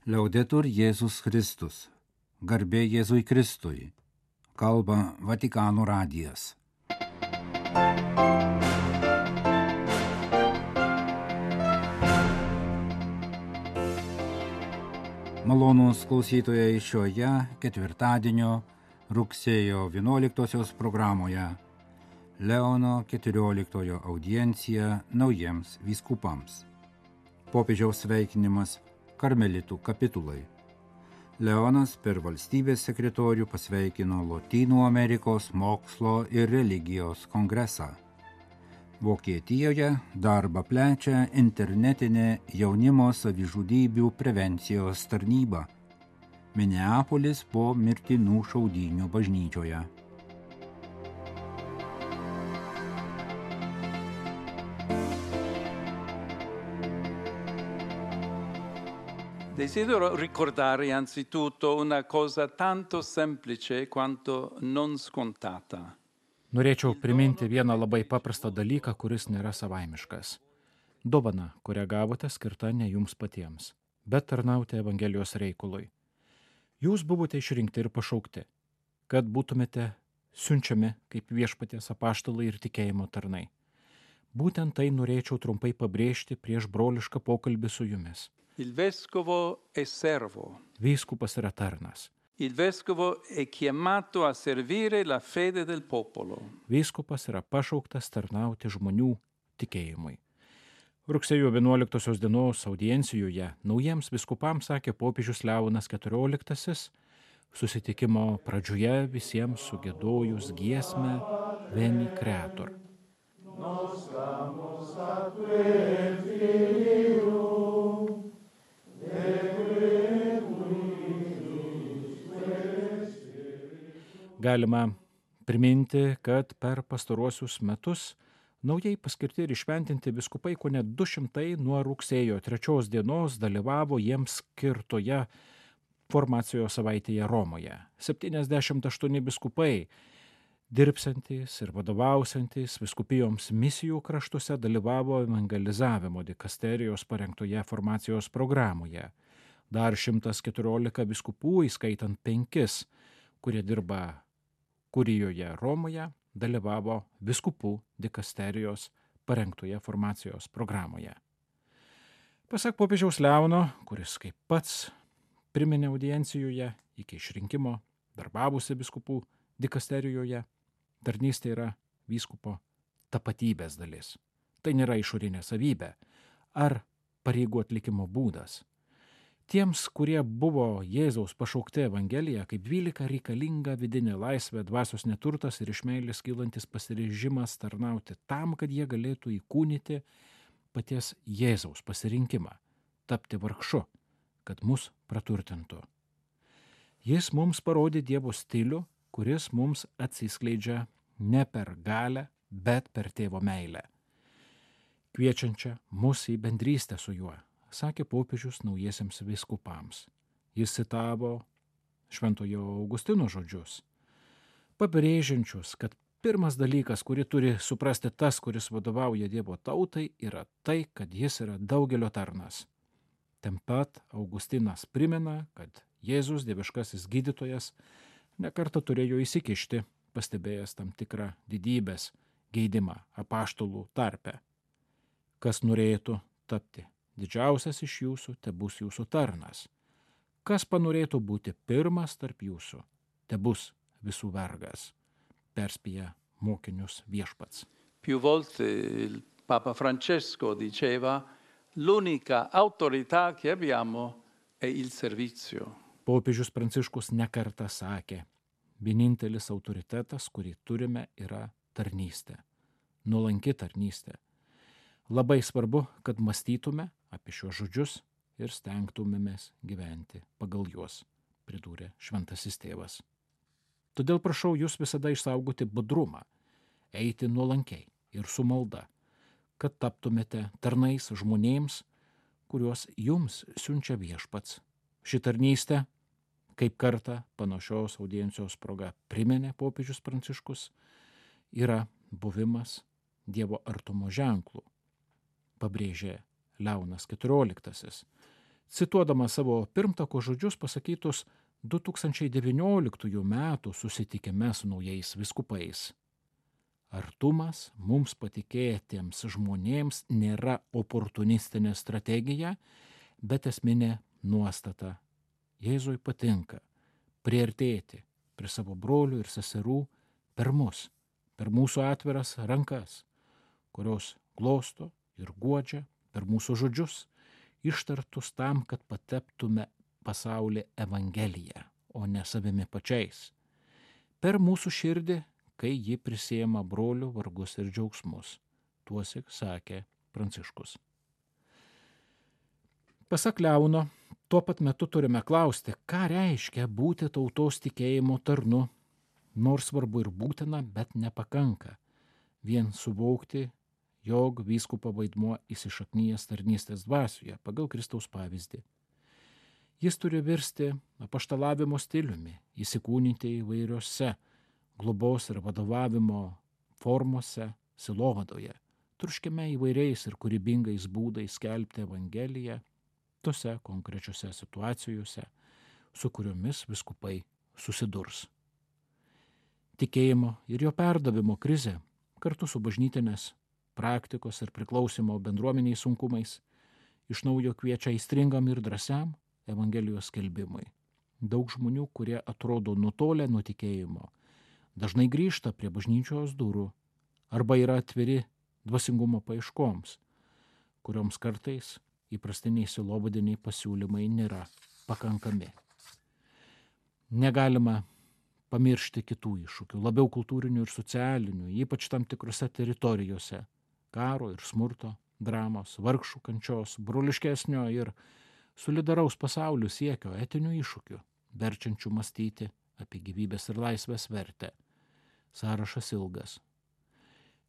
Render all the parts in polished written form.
Liaudetur Jėzus Kristus. Garbė Jėzui Kristui. Kalba Vatikano radijas. Malonūs klausytojai šioje ketvirtadienio rugsėjo 11 programoje Leono 14 audiencija naujiems vyskupams. Popiežiaus sveikinimas karmelitų kapitulai. Leonas per valstybės sekretorių pasveikino Lotynų Amerikos mokslo ir religijos kongresą. Vokietijoje darbą plečia internetinė jaunimo savižudybių prevencijos tarnyba. Mineapolis po mirtinų šaudynių bažnyčioje. Desidero ricordare anzitutto una cosa tanto semplice quanto non scontata. Norėčiau priminti vieną labai paprastą dalyką, kuris nėra savaimiškas. Dovana, kurią gavote, skirta ne jums patiems, bet tarnauti Evangelijos reikalui. Jūs buvote išrinkti ir pašaukti, kad būtumėte siunčiami kaip Viešpaties apaštalai ir tikėjimo tarnai. Būtent tai norėčiau trumpai pabrėžti prieš brolišką pokalbį su jumis. Il vescovo è servo. Vyskupas yra tarnas. Il vescovo è chiamato a servire la fede del popolo. Vyskupas yra pašauktas tarnauti žmonių tikėjimui. Rugsėjo 11 dienos audiencijoje naujiems vyskupams sakė popiežius Leonas XIV, susitikimo pradžioje visiems sugėdojus giesmę Veni Creator. Galima priminti, kad per pastaruosius metus naujai paskirti ir išventinti vyskupai kone 200 nuo rugsėjo 3 dienos dalyvavo jiems skirtoje formacijos savaitėje Romoje. 78 vyskupai, dirbsantys ir vadovausiantys vyskupijoms misijų kraštuose, dalyvavo evangelizavimo dikasterijos parengtoje formacijos programoje. Dar 114 vyskupų, įskaitant 5, kurie dirba Kurijoje Romoje, dalyvavo vyskupų dikasterijos parengtoje formacijos programoje. Pasak popiežiaus Leono, kuris kaip pats priminė audiencijoje iki išrinkimo darbavusi vyskupų dikasterijoje, tarnystė yra vyskupo tapatybės dalis. Tai nėra išorinė savybė ar pareigų atlikimo būdas. Tiems, kurie buvo Jėzaus pašaukti Evangeliją, kaip 12 reikalinga vidinė laisvė, dvasios neturtas ir iš meilės kylantis pasiryžimas tarnauti tam, kad jie galėtų įkūnyti paties Jėzaus pasirinkimą, tapti vargšu, kad mus praturtintų. Jis mums parodė Dievo stilių, kuris mums atsiskleidžia ne per galią, bet per tėvo meilę, kviečiančią mus į bendrystę su juo, sakė popiežius naujiesiems vyskupams. Jis citavo Šventojo Augustino žodžius, pabrėžiančius, kad pirmas dalykas, kurį turi suprasti tas, kuris vadovauja Dievo tautai, yra tai, kad jis yra daugelio tarnas. Taip pat Augustinas primena, kad Jėzus, dieviškasis gydytojas, nekartą turėjo įsikišti, pastebėjęs tam tikrą didybės geidimą apaštalų tarpe. Kas norėtų tapti didžiausias iš jūsų, tebus jūsų tarnas. Kas panorėtų būti pirmas tarp jūsų, tebus visų vergas, perspėja mokinius Viešpats. Più volte il Papa Francesco diceva: l'unica autorità che abbiamo è il servizio. Popiežius Pranciškus nekartą sakė, vienintelis autoritetas, kurį turime, yra tarnystė, nuolanki tarnystė. Labai svarbu, kad mąstytume apie šios žodžius ir stengtumėmės gyventi pagal juos, pridūrė šventasis tėvas. Todėl prašau jūs visada išsaugoti budrumą, eiti nuolankiai ir su malda, kad taptumėte tarnais žmonėms, kuriuos jums siunčia Viešpats. Ši tarnystė, kaip kartą panašios audiencijos proga priminė popiežius Pranciškus, yra buvimas Dievo artumo ženklų, pabrėžė Leonas XIV, cituodama savo pirmtako žodžius pasakytus 2019 metų susitikime su naujais vyskupais. Artumas mums patikėtiems žmonėms nėra oportunistinė strategija, bet esminė nuostata. Jėzui patinka priartėti prie savo brolių ir seserų per mus, per mūsų atviras rankas, kurios glosto ir guodžia, per mūsų žodžius, ištartus tam, kad pateptume pasaulį Evangeliją, o ne savimi pačiais, per mūsų širdį, kai ji prisiema brolių vargus ir džiaugsmus. Tuosik sakė Pranciškus. Pasak Leono, tuo pat metu turime klausti, ką reiškia būti tautos tikėjimo tarnu, nors svarbu ir būtina, bet nepakanka vien suvokti, jog vyskupo vaidmuo įsišaknyjęs tarnystės dvasioje pagal Kristaus pavyzdį. Jis turi virsti apaštalavimo stiliumi, įsikūnyti įvairiose globos ir vadovavimo formose sielovadoje, troškime įvairiais ir kūrybingais būdais skelbti Evangeliją tose konkrečiose situacijose, su kuriomis vyskupai susidurs. Tikėjimo ir jo perdavimo krizė kartu su bažnytinės praktikos ir priklausimo bendruomeniai sunkumais iš naujo kviečia aistringam ir drąsiam Evangelijos skelbimui. Daug žmonių, kurie atrodo nutolę nuo tikėjimo, dažnai grįžta prie bažnyčios durų arba yra atviri dvasingumo paieškoms, kurioms kartais įprastiniai sielovadiniai pasiūlymai nėra pakankami. Negalima pamiršti kitų iššūkių, labiau kultūrinių ir socialinių, ypač tam tikrose teritorijose, karo ir smurto, dramos, vargšų kančios, broliškesnio ir solidaraus pasaulio siekio etinių iššūkių, verčiančių mąstyti apie gyvybės ir laisvės vertę. Sąrašas ilgas.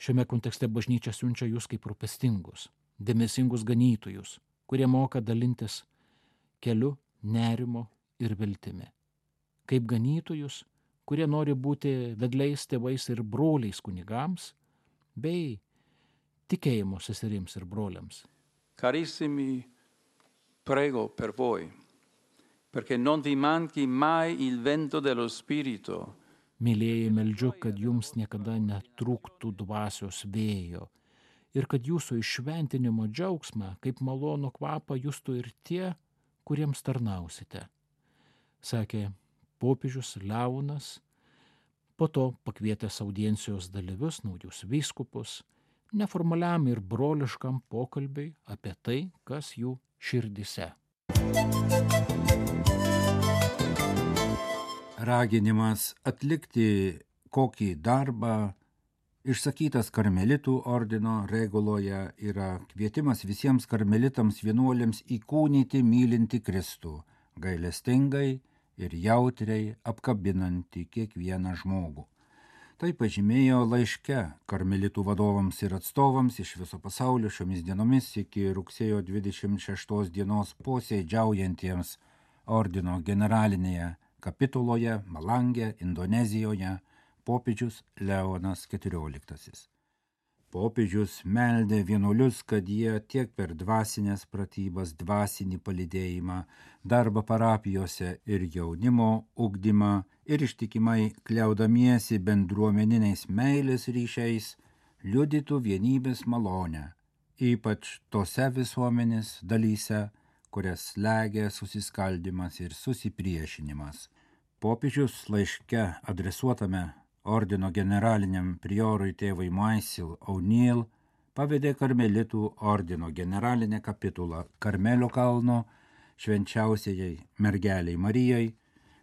Šiame kontekste bažnyčia siunčia jūs kaip rūpestingus, dėmesingus ganytojus, kurie moka dalintis keliu, nerimo ir viltimi. Kaip ganytojus, kurie nori būti vedliais tėvais ir broliais kunigams, bei tikėjimo seserims ir broliams. Carissimi, prego per voi, perché non vi manchi mai il vento dello Spirito. Mylėjai, meldžiu, kad jums niekada netrūktų dvasios vėjo ir kad jūsų iššventinimo džiaugsmą kaip malonų kvapą justų ir tie, kuriems tarnausite, sakė popiežius Leonas, po to pakvietęs audiencijos dalyvius, naujus vyskupus, neformaliam ir broliškam pokalbiui apie tai, kas jų širdise. Raginimas atlikti kokį darbą išsakytas karmelitų ordino reguloje yra kvietimas visiems karmelitams vienuoliams įkūnyti mylintį Kristų, gailestingai ir jautriai apkabinantį kiekvieną žmogų. Tai pažymėjo laiške karmelitų vadovams ir atstovams iš viso pasaulio šiomis dienomis iki rugsėjo 26 dienos posėdžiaujantiems ordino generalinėje kapituloje Malange, Indonezijoje, popiežius Leonas XIV. Popiežius meldė vienuolius, kad jie tiek per dvasinės pratybas, dvasinį palydėjimą, darbą parapijose ir jaunimo ugdymą ir ištikimai kliaudamiesi bendruomeniniais meilės ryšiais liudytų vienybės malonę, ypač tose visuomenės dalyse, kurias slegia susiskaldymas ir susipriešinimas. Popiežius laiške adresuotame ordino generaliniam priorui tėvui Maisil O'Neill pavedė karmelitų ordino generalinę kapitulą Karmelio kalno švenčiausiai mergeliai Marijai,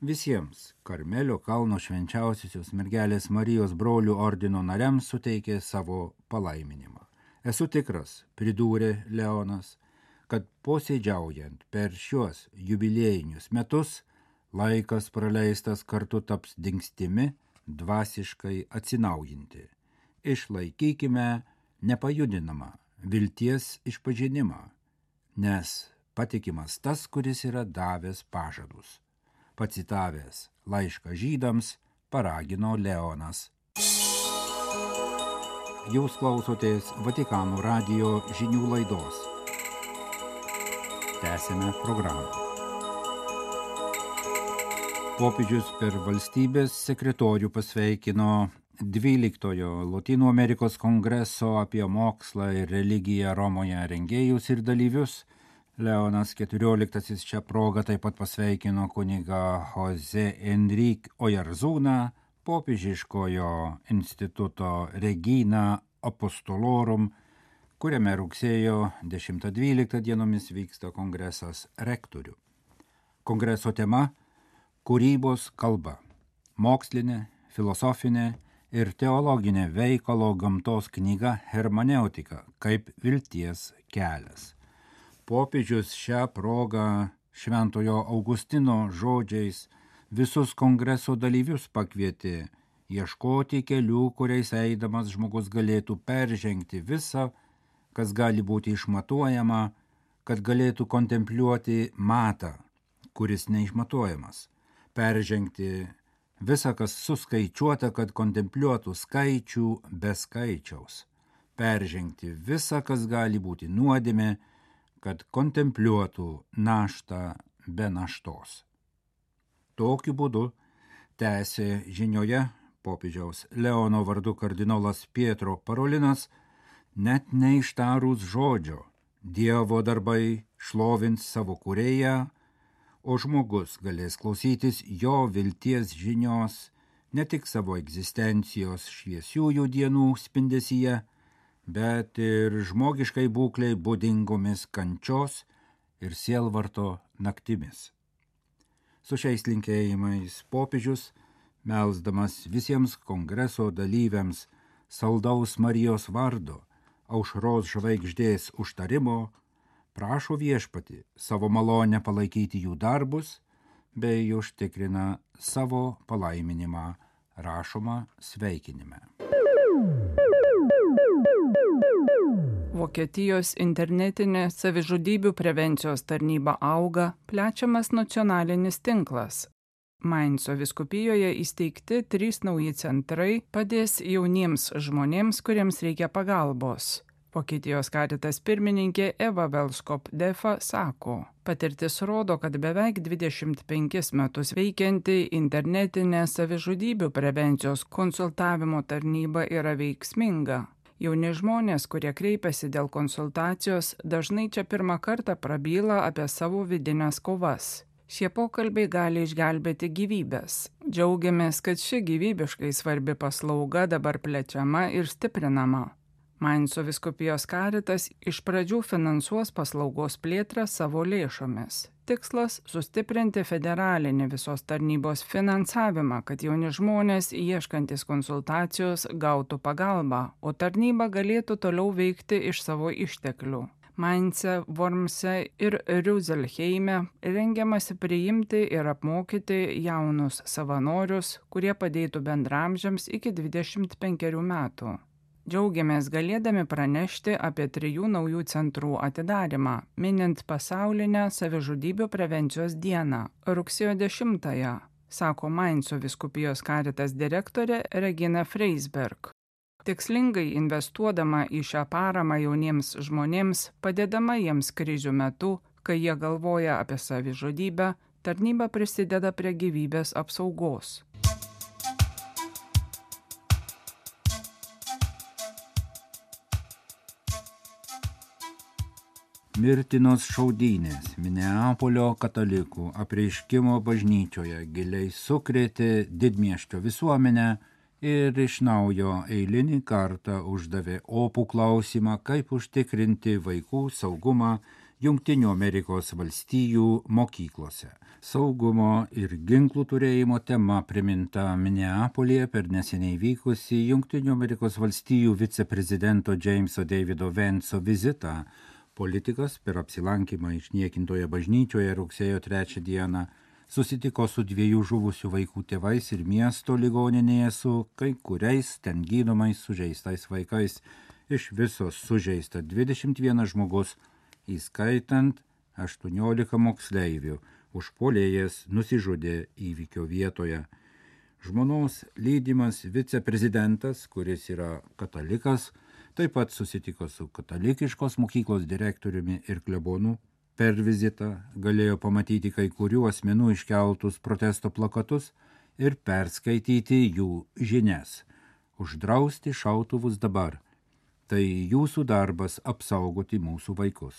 visiems Karmelio kalno švenčiausiosios mergelės Marijos brolių ordino nariams suteikė savo palaiminimą. Esu tikras, pridūrė Leonas, kad posėdžiaujant per šiuos jubiliejinius metus laikas praleistas kartu taps dingstimi dvasiškai atsinaujinti. Išlaikykime nepajudinamą vilties išpažinimą, nes patikimas tas, kuris yra davęs pažadus. Pacitavęs laišką žydams, paragino Leonas. Jūs klausotės Vatikano radijo žinių laidos. tęsime programą. Popiežius per valstybės sekretorių pasveikino 12-ojo Lotynų Amerikos kongreso apie mokslą ir religiją Romoje rengėjus ir dalyvius. Leonas XIV šią progą taip pat pasveikino kunigą Jose Enrique Oyarzūną, popiežiškojo instituto Regina Apostolorum, kuriame rugsėjo 10-12 dienomis vyksta kongresas rektorių. Kongreso tema – kūrybos kalba, mokslinė, filosofinė ir teologinė veikalo gamtos knyga Hermeneutika kaip vilties kelias. Popiežius šią progą Šventojo Augustino žodžiais visus kongreso dalyvius pakvietė ieškoti kelių, kuriais eidamas žmogus galėtų peržengti visą, kas gali būti išmatuojama, kad galėtų kontempliuoti matą, kuris neišmatuojamas, peržengti visą, kas suskaičiuota, kad kontempliuotų skaičių be skaičiaus, peržengti visą, kas gali būti nuodėmė, kad kontempliuotų naštą be naštos. Tokiu būdu tęsė žinioje popiežiaus Leono vardu kardinolas Pietro Parolinas, net neištarus žodžio, Dievo darbai šlovins savo kūrėją, o žmogus galės klausytis jo vilties žinios ne tik savo egzistencijos šviesiųjų dienų spindesyje, bet ir žmogiškai būklei būdingomis kančios ir sielvarto naktimis. Su šiais linkėjimais popiežius, melsdamas visiems kongreso dalyviams saldaus Marijos vardo, aušros žvaigždės užtarimo, prašo viešpatį savo malonę palaikyti jų darbus, bei užtikrina savo palaiminimą, rašoma sveikinime. Vokietijos internetinė savižudybių prevencijos tarnyba auga, plečiamas nacionalinis tinklas. Mainco vyskupijoje įsteigti 3 nauji centrai padės jauniems žmonėms, kuriems reikia pagalbos. Vokietijos Caritas pirmininkė Eva Velskop-Defa sako, patirtis rodo, kad beveik 25 metus veikianti internetinė savižudybių prevencijos konsultavimo tarnyba yra veiksminga. Jauni žmonės, kurie kreipiasi dėl konsultacijos, dažnai čia pirmą kartą prabyla apie savo vidinės kovas. Šie pokalbiai gali išgelbėti gyvybės. Džiaugiamės, kad ši gyvybiškai svarbi paslauga dabar plečiama ir stiprinama. Mainco vyskupijos Caritas iš pradžių finansuos paslaugos plėtrą savo lėšomis. Tikslas – sustiprinti federalinį visos tarnybos finansavimą, kad jauni žmonės ieškantis konsultacijos gautų pagalbą, o tarnyba galėtų toliau veikti iš savo išteklių. Maince, Wormse ir Rüsselheime rengiamasi priimti ir apmokyti jaunus savanorius, kurie padėtų bendramžiams iki 25 metų. Džiaugiamės galėdami pranešti apie 3 naujų centrų atidarymą, minint pasaulinę savižudybių prevencijos dieną, rugsėjo 10-ąją, sako Mainco vyskupijos Caritas direktorė Regina Freisberg. Tikslingai investuodama į šią paramą jauniems žmonėms, padėdama jiems krizių metu, kai jie galvoja apie savižudybę, tarnyba prisideda prie gyvybės apsaugos. Mirtinos šaudynės Mineapolio katalikų apreiškimo bažnyčioje giliai sukrėtė didmiesčio visuomenę ir iš naujo eilinį kartą uždavė opų klausimą, kaip užtikrinti vaikų saugumą Jungtinių Amerikos valstijų mokyklose. Saugumo ir ginklų turėjimo tema priminta Mineapolyje per neseniai vykusį Jungtinių Amerikos valstijų viceprezidento Jameso Davido Vance'o vizitą. Politikas per apsilankymą išniekintoje bažnyčioje rugsėjo 3 dieną susitiko su 2 žuvusių vaikų tėvais ir miesto ligoninėje su kai kuriais ten gydomais sužeistais vaikais. Iš viso sužeista 21 žmogus, įskaitant 18 moksleivių. Užpuolėjas nusižudė įvykio vietoje. Žmonos lydimas viceprezidentas, kuris yra katalikas, taip pat susitiko su katalikiškos mokyklos direktoriumi ir klebonu Per vizitą galėjo pamatyti kai kurių asmenų iškeltus protesto plakatus ir perskaityti jų žinias. Uždrausti šautuvus dabar. Tai jūsų darbas apsaugoti mūsų vaikus.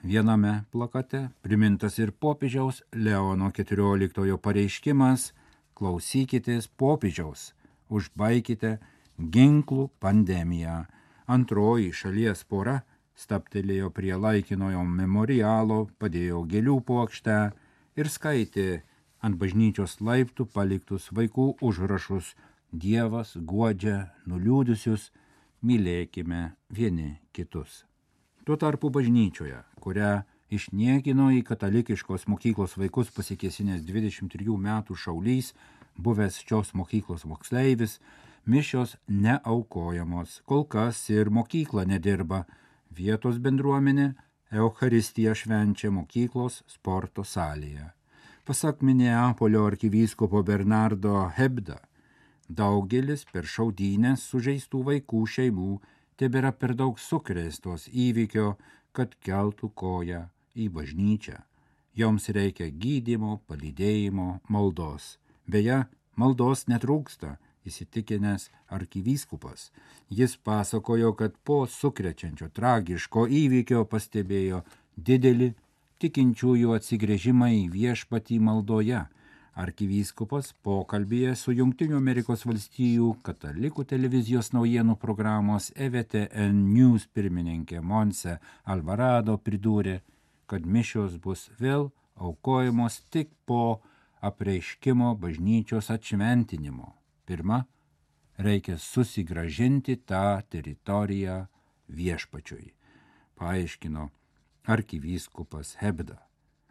Viename plakate primintas ir popiežiaus Leono XIV pareiškimas: klausykitės popiežiaus, užbaikite ginklų pandemiją. Antroji šalies pora stabtelėjo prie laikinojo memorialo, padėjo gėlių puokštę ir skaitė ant bažnyčios laiptų paliktus vaikų užrašus: Dievas guodžia nuliūdusius, mylėkime vieni kitus. Tuo tarpu bažnyčioje, kurią išniekino į katalikiškos mokyklos vaikus pasikėsinęs 23 metų šaulys, buvęs šios mokyklos moksleivis, mišios neaukojamos, kol kas ir mokykla nedirba. Vietos bendruomenė Eucharistiją švenčia mokyklos sporto salėje. Pasak Mineapolio arkivyskupo Bernardo Hebda, daugelis per šaudynes sužeistų vaikų šeimų tebėra per daug sukrėstos įvykio, kad keltų koją į bažnyčią. Joms reikia gydymo, palydėjimo, maldos. Beje, maldos netrūksta, įsitikinęs arkivyskupas. Jis pasakojo, kad po sukrečiančio tragiško įvykio pastebėjo didelį tikinčiųjų atsigręžimą į viešpatį maldoje. Arkivyskupas pokalbyje su Jungtinių Amerikos valstijų katalikų televizijos naujienų programos EWTN News pirmininkė Montse Alvarado pridūrė, kad mišios bus vėl aukojamos tik po apreiškimo bažnyčios atšventinimo. Pirma, reikia susigrąžinti tą teritoriją viešpačiui, paaiškino arkivyskupas Hebda.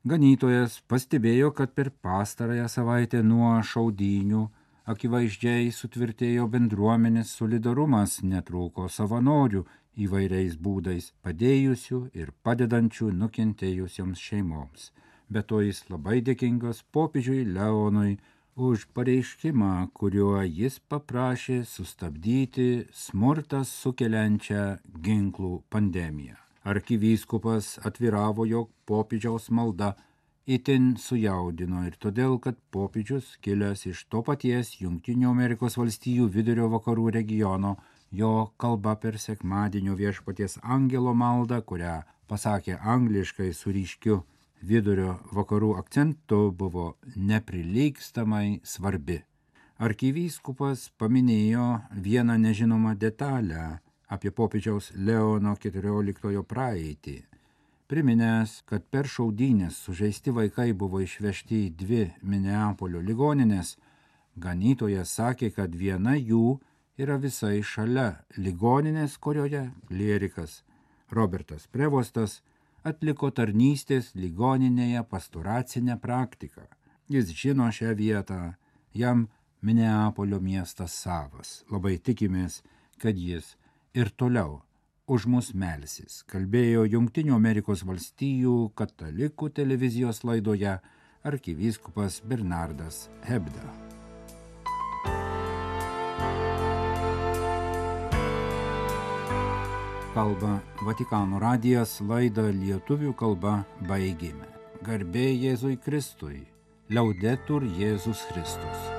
Ganytojas pastebėjo, kad per pastarąją savaitę nuo šaudynių akivaizdžiai sutvirtėjo bendruomenės solidarumas, netrūko savanorių įvairiais būdais, padėjusių ir padedančių nukentėjusioms šeimoms. Be to jis labai dėkingas popiežiui Leonui už pareiškimą, kuriuo jis paprašė sustabdyti smurtą sukeliančią ginklų pandemiją. Arkivyskupas atviravo, jog popiežiaus malda itin sujaudino ir todėl, kad popiežius, kilęs iš to paties Jungtinių Amerikos valstijų vidurio vakarų regiono, jo kalba per sekmadienio viešpaties angelo maldą, kurią pasakė angliškai su ryškiu vidurio vakarų akcentu, buvo neprilygstamai svarbi. Arkivyskupas paminėjo vieną nežinomą detalę apie popiežiaus Leono XIV praeitį, priminęs, kad per šaudynes sužeisti vaikai buvo išvežti į 2 Mineapolio ligoninės. Ganytojas sakė, kad viena jų yra visai šalia ligoninės, kurioje klierikas Robertas Prevostas atliko tarnystės ligoninėje pastoracinę praktiką. Jis žino šią vietą, jam Mineapolio miestas savas. Labai tikimės, kad jis ir toliau už mus melsis, kalbėjo Jungtinių Amerikos valstijų katalikų televizijos laidoje arkivyskupas Bernardas Hebda. Kalba Vatikano radijas, laidą lietuvių kalba baigėme. Garbė Jėzui Kristui, Laudetur Jėzus Kristus.